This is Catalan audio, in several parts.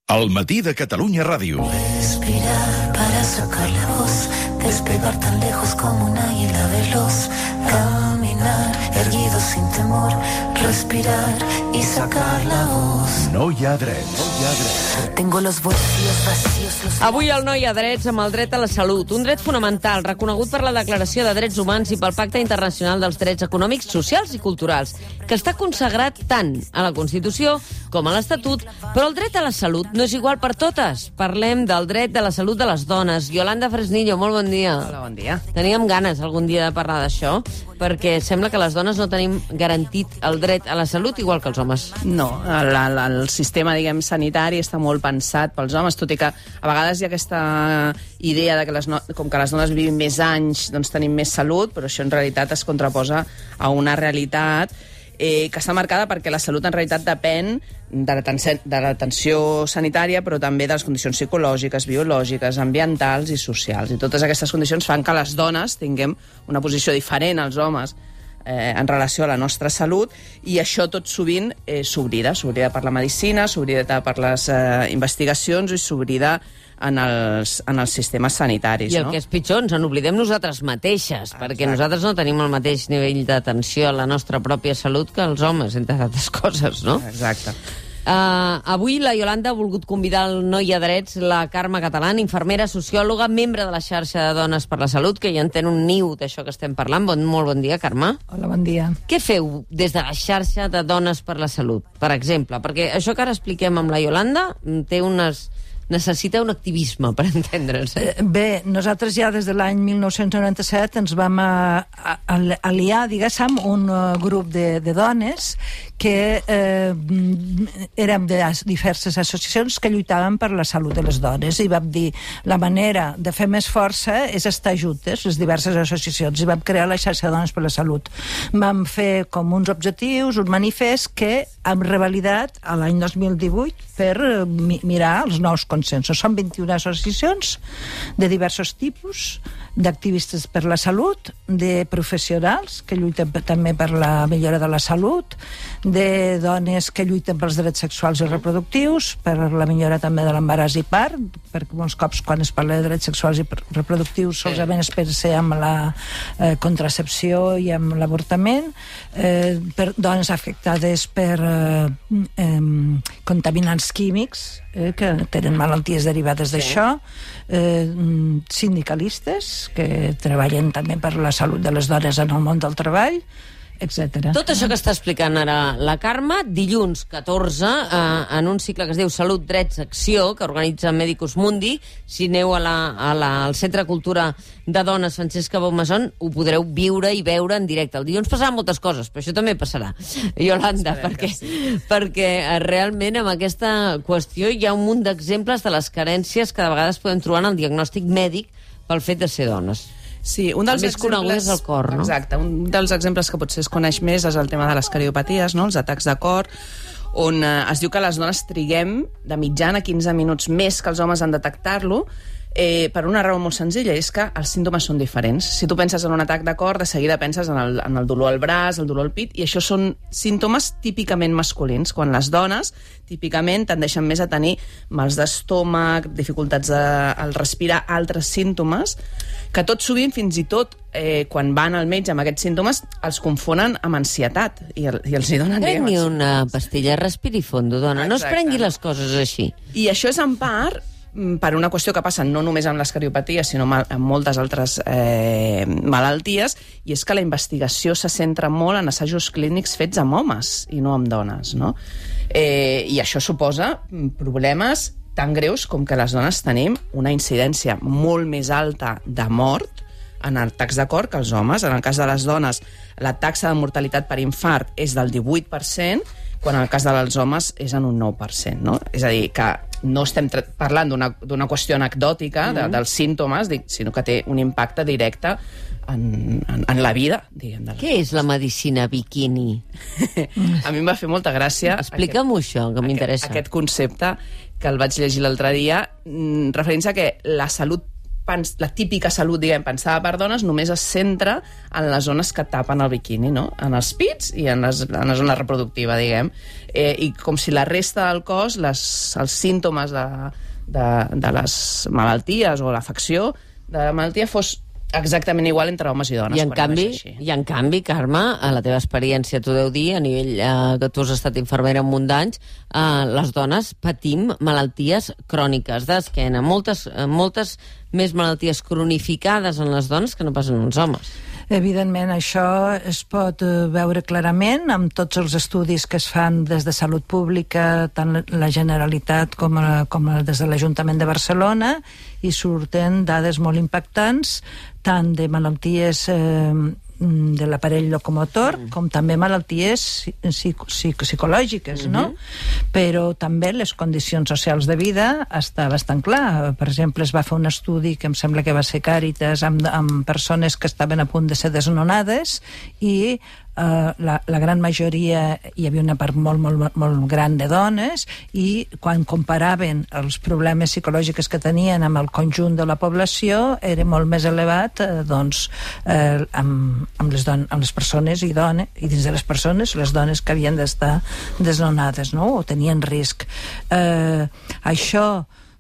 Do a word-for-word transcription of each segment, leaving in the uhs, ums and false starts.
Al matí de Catalunya Ràdio. Respirar para sacar la voz, despegar tan lejos como un águila veloz, caminar erguido sin temor, respirar y sacar la voz. No hi ha drets. No hi ha drets. Tengo los bolsillos vacíos. Los... Avui el No hi ha drets amb el dret a la salut, un dret fonamental reconegut per la Declaració de Drets Humans i pel Pacte Internacional dels Drets Econòmics, Socials i Culturals, que està consagrat tant a la Constitució com a l'Estatut, però el dret a la salut no és igual per totes. Parlem del dret de la salut de les dones. Yolanda Fresnillo, molt bon dia. Hola, bon dia. Teníem ganes algun dia de parlar d'això, perquè sembla que les dones no tenim garantit el dret a la salut igual que els homes. No, el, el, el sistema, diguem, sanitari està molt pensat pels homes, tot i que a vegades hi ha aquesta idea de que les no, com que les dones vivim més anys, doncs tenim més salut, però això en realitat es contraposa a una realitat eh, que està marcada perquè la salut en realitat depèn de l'atenció sanitària, però també de les condicions psicològiques, biològiques, ambientals i socials. I totes aquestes condicions fan que les dones tinguem una posició diferent als homes eh, en relació a la nostra salut, i això tot sovint eh, s'oblida, s'oblida per la medicina, s'oblida per les eh, investigacions i s'oblida en els, en els sistemes sanitaris. I el no? que és pitjor, ens en oblidem nosaltres mateixes, Exacte. perquè nosaltres no tenim el mateix nivell d'atenció a la nostra pròpia salut que els homes, entre altres coses, no? Exacte. Uh, avui la Yolanda ha volgut convidar al No hi ha drets la Carme Catalán, infermera, sociòloga, membre de la xarxa de Dones per la Salut, que ja entén un niu d'això que estem parlant. Bon, molt bon dia, Carme. Hola, bon dia. Què feu des de la xarxa de Dones per la Salut, per exemple? Perquè això que ara expliquem amb la Yolanda té unes... necessita un activisme per entendre'ns. Eh? Bé, nosaltres ja des de l'any mil nou-cents noranta-set ens vam a, a, a, aliar, diguéssim, un uh, grup de, de dones que eh, érem de diverses associacions que lluitaven per la salut de les dones, i vam dir la manera de fer més força és estar juntes, les diverses associacions, i vam crear la xarxa de Dones per la Salut. Vam fer com uns objectius, un manifest que hem revalidat a l'any dos mil divuit per mi mirar els nous consensos. Són vint-i-una associacions de diversos tipus, d'activistes per la salut, de professionals que lluiten també per la millora de la salut, de dones que lluiten pels drets sexuals i reproductius, per la millora també de l'embaràs i part, perquè molts cops quan es parla de drets sexuals i reproductius solament es pensa amb la eh, contracepció i amb l'avortament, eh, per dones afectades per eh, eh, contaminants químics, eh, que tenen malalties derivades d'això, eh, sindicalistes que treballen també per la salut de les dones en el món del treball, etcètera. Tot això que està explicant ara la Carme, dilluns catorze, eh, en un cicle que es diu Salut, Drets, Acció, que organitza Medicus Mundi. Si aneu a la, a la, al Centre de Cultura de Dones Francesca Baumason, ho podreu viure i veure en directe. El dilluns passaran moltes coses, però això també passarà, Yolanda, perquè, sí. perquè realment amb aquesta qüestió hi ha un munt d'exemples de les carències que de vegades podem trobar en el diagnòstic mèdic pel fet de ser dones. Sí, un dels més conegut és el cor, no? Exacte, un dels exemples que potser es coneix més és el tema de les cardiopaties, no? Els atacs de cor, on eh, es diu que les dones triguem de mitjana quinze minuts més que els homes en detectar-lo, eh, per una raó molt senzilla, és que els símptomes són diferents. Si tu penses en un atac de cor, de seguida penses en el, en el dolor al braç, el dolor al pit, i això són símptomes típicament masculins, quan les dones típicament tendeixen més a tenir mals d'estómac, dificultats de, al respirar, altres símptomes, que tot sovint, fins i tot, eh, quan van al metge amb aquests símptomes, els confonen amb ansietat, i, el, i els hi donen... Prengui una pastilla, respiri fondo, dona. No es prengui les coses així. I això és en part per una qüestió que passa no només amb les cardiopaties, sinó amb moltes altres eh, malalties, i és que la investigació se centra molt en assajos clínics fets amb homes i no amb dones, no? Eh, I això suposa problemes tan greus com que les dones tenim una incidència molt més alta de mort en atacs de cor que els homes. En el cas de les dones, la taxa de mortalitat per infart és del divuit per cent, quan en el cas dels homes és en un nou per cent, no? És a dir, que no estem parlant d'una qüestió anecdòtica de, dels símptomes, sinó que té un impacte directe en, en, en la vida, diguem. De la... Què és la medicina biquini? A mi em va fer molta gràcia... Explica'm-ho això, que m'interessa. Aquest, aquest concepte que el vaig llegir l'altre dia, referint-se a que la salut la típica salut, diguem, pensada per dones, només es centra en les zones que tapen el biquini, no? En els pits i en, les, en la zona reproductiva, diguem. Eh, I com si la resta del cos, les, els símptomes de, de, de les malalties o l'afecció de la malaltia fos exactament igual entre homes i dones. I en, canvi, I en canvi, Carme, a la teva experiència t'ho deu dir, a nivell eh, que tu has estat infermera un munt d'anys, eh, les dones patim malalties cròniques d'esquena, moltes, eh, moltes més malalties cronificades en les dones que no pas en els homes. Evidentment, això es pot veure clarament amb tots els estudis que es fan des de Salut Pública, tant la Generalitat com, a, com a des de l'Ajuntament de Barcelona, i surten dades molt impactants, tant de malalties eh, de l'aparell locomotor, mm. com també malalties psico psico psicològiques, mm-hmm. no? Però també les condicions socials de vida està bastant clar. Per exemple, es va fer un estudi que em sembla que va ser Càritas amb, amb persones que estaven a punt de ser desnonades i Uh, la, la gran majoria, hi havia una part molt, molt, molt gran de dones, i quan comparaven els problemes psicològics que tenien amb el conjunt de la població era molt més elevat eh, doncs, eh, amb, amb, les don amb les persones i dones, i dins de les persones les dones que havien d'estar desnonades, no? O tenien risc. Eh, això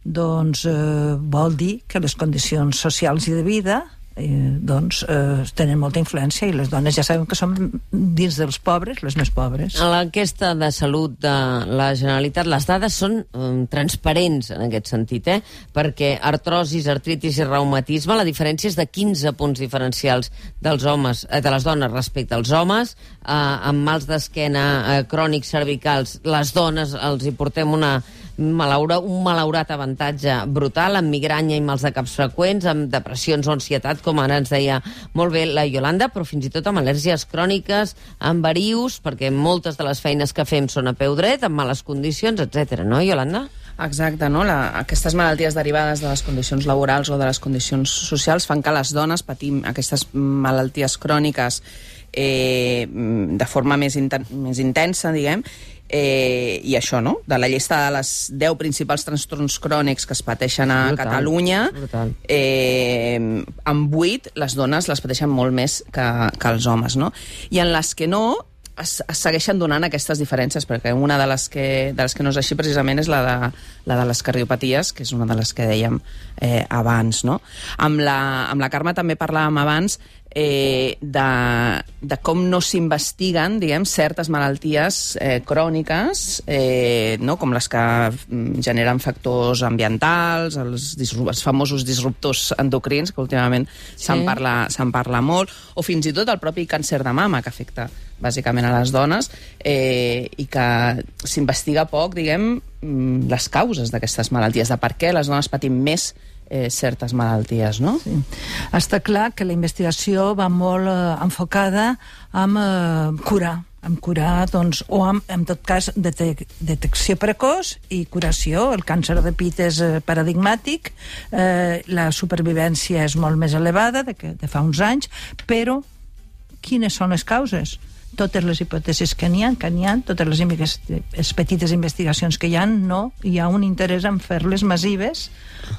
doncs, eh, vol dir que les condicions socials i de vida Eh, doncs eh, tenen molta influència, i les dones ja sabem que són dins dels pobres les més pobres. A l'enquesta de salut de la Generalitat les dades són um, transparents en aquest sentit, eh? Perquè artrosis, artritis i reumatisme, la diferència és de quinze punts diferencials dels homes, eh, de les dones respecte als homes. Eh, amb mals d'esquena eh, crònics cervicals, les dones els hi portem una Malaura, un malaurat avantatge brutal, amb migranya i mals de caps freqüents, amb depressions o ansietat, com ara ens deia molt bé la Iolanda, però fins i tot amb al·lèrgies cròniques, amb varius, perquè moltes de les feines que fem són a peu dret, amb males condicions, etcètera, no, Iolanda? Exacte, no? La, aquestes malalties derivades de les condicions laborals o de les condicions socials fan que les dones patim aquestes malalties cròniques eh, de forma més, inten més intensa, diguem. Eh, i això, no? De la llista de les deu principals trastorns crònics que es pateixen a brutal, Catalunya, eh, amb vuit les dones les pateixen molt més que, que els homes, no? I en les que no es, es segueixen donant aquestes diferències, perquè una de les que, de les que no és així precisament és la de, la de les cardiopaties, que és una de les que dèiem eh, abans, no? Amb la, amb la Carme també parlàvem abans Eh, de, de com no s'investiguen, diguem, certes malalties eh, cròniques, eh, no? Com les que generen factors ambientals, els, els famosos disruptors endocrins, que últimament sí. se'n parla, se'n parla molt, o fins i tot el propi càncer de mama, que afecta bàsicament a les dones, eh, i que s'investiga poc, diguem, les causes d'aquestes malalties, de per què les dones patim més Eh, certes malalties, no? Sí. Està clar que la investigació va molt eh, enfocada amb eh, curar, amb curar, doncs, o amb, en tot cas, detec detecció precoç i curació. El càncer de pit és eh, paradigmàtic, eh, la supervivència és molt més elevada de, que, de fa uns anys, però quines són les causes? Totes les hipòtesis que n'hi ha, que n'hi ha, totes les, les petites investigacions que hi ha, no hi ha un interès en fer-les massives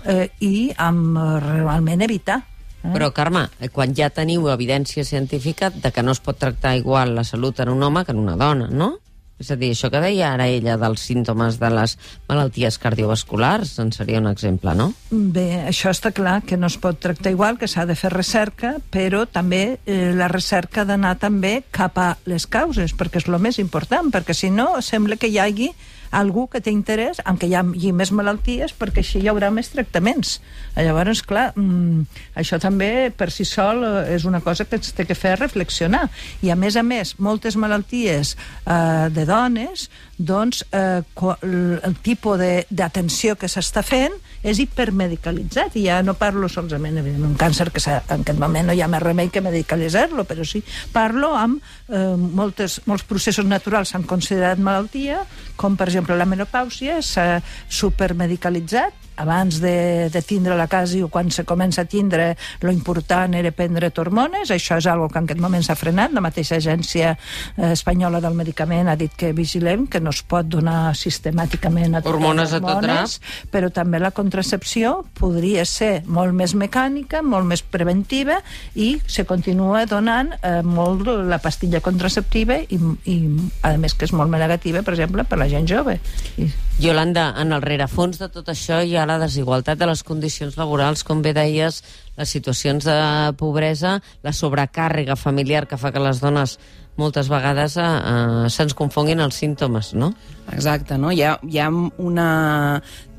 eh, i amb eh, realment evitar. Eh? Però, Carme, quan ja teniu evidència científica de que no es pot tractar igual la salut en un home que en una dona, no? És a dir, això que deia ara ella dels símptomes de les malalties cardiovasculars en seria un exemple, no? Bé, això està clar, que no es pot tractar igual, que s'ha de fer recerca, però també eh, la recerca ha d'anar també cap a les causes, perquè és el més important, perquè si no sembla que hi hagi algú que té interès en que hi hagi més malalties, perquè així hi haurà més tractaments. Llavors, clar, mmm, això també per si sol és una cosa que ens té que fer reflexionar. I a més a més, moltes malalties eh, de dones, doncs eh, el tipus d'atenció que s'està fent és hipermedicalitzat, i ja no parlo solament d'un càncer, que en aquest moment no hi ha més remei que medicalitzar-lo, però sí parlo amb eh, moltes, molts processos naturals s'han considerat malaltia, com per exemple la menopàusia, s'ha supermedicalitzat. Abans de, de tindre la casa o quan se comença a tindre, lo important era prendre hormones. Això és algo que en aquest moment s'ha frenat. La mateixa agència eh, espanyola del medicament ha dit que vigilem, que no es pot donar sistemàticament a totes Hormones les a tot hormones, però també la contracepció podria ser molt més mecànica, molt més preventiva, i se continua donant eh, molt la pastilla contraceptiva i, i a més que és molt més negativa, per exemple, per la gent jove. I... Iolanda, en el rerefons de tot això hi ha la desigualtat de les condicions laborals, com bé deies, les situacions de pobresa, la sobrecàrrega familiar que fa que les dones moltes vegades eh, eh, se'ns confonguin els símptomes, no? Exacte, no? Hi ha, hi ha una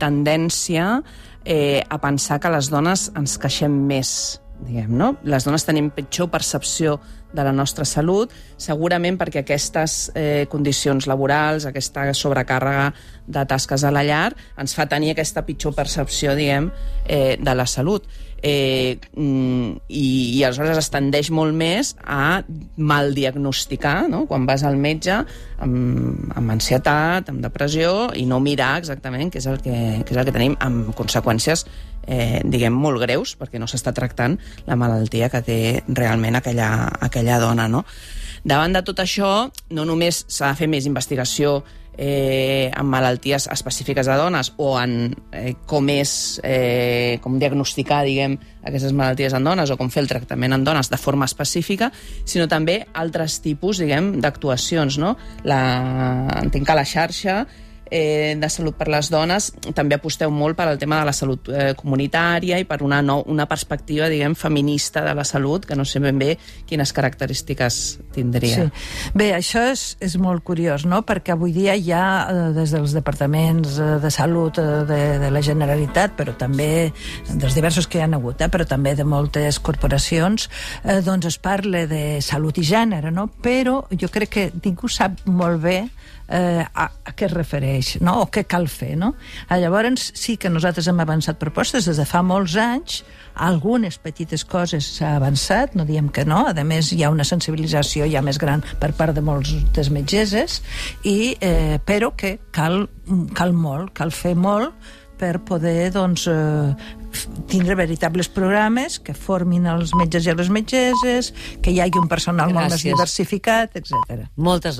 tendència eh, a pensar que les dones ens queixem més, diguem, no? Les dones tenim pitjor percepció de la nostra salut, segurament perquè aquestes eh, condicions laborals, aquesta sobrecàrrega de tasques a la llar, ens fa tenir aquesta pitjor percepció, diguem, eh, de la salut. Eh, i, i aleshores es tendeix molt més a mal diagnosticar, no? Quan vas al metge amb, amb ansietat, amb depressió, i no mirar exactament què és el que, què és el que tenim, amb conseqüències eh, diguem molt greus, perquè no s'està tractant la malaltia que té realment aquella, aquella dona, no? Davant de tot això, no només s'ha de fer més investigació Eh, en malalties específiques de dones o en eh, com és eh, com diagnosticar, diguem, aquestes malalties en dones o com fer el tractament en dones de forma específica, sinó també altres tipus, diguem, d'actuacions, no? La... Entenc que la xarxa eh, de salut per les dones també aposteu molt per al tema de la salut eh, comunitària i per una, no, una perspectiva, diguem, feminista de la salut, que no sé ben bé quines característiques tindria. Sí. Bé, això és, és molt curiós, no? Perquè avui dia hi ha, eh, des dels departaments eh, de salut eh, de, de la Generalitat, però també dels diversos que hi ha hagut, eh, però també de moltes corporacions, eh, doncs es parla de salut i gènere, no? Però jo crec que ningú sap molt bé Eh, a, a què es refereix, no? O què cal fer, no? Llavors sí que nosaltres hem avançat propostes des de fa molts anys, algunes petites coses s'ha avançat, no diem que no, a més hi ha una sensibilització ja més gran per part de molts des metgesses, i, eh, però que cal, cal molt, cal fer molt per poder, doncs, eh, tindre veritables programes que formin els metges i les metgesses, que hi hagi un personal molt més Gràcies. diversificat, etcètera. Moltes gràcies.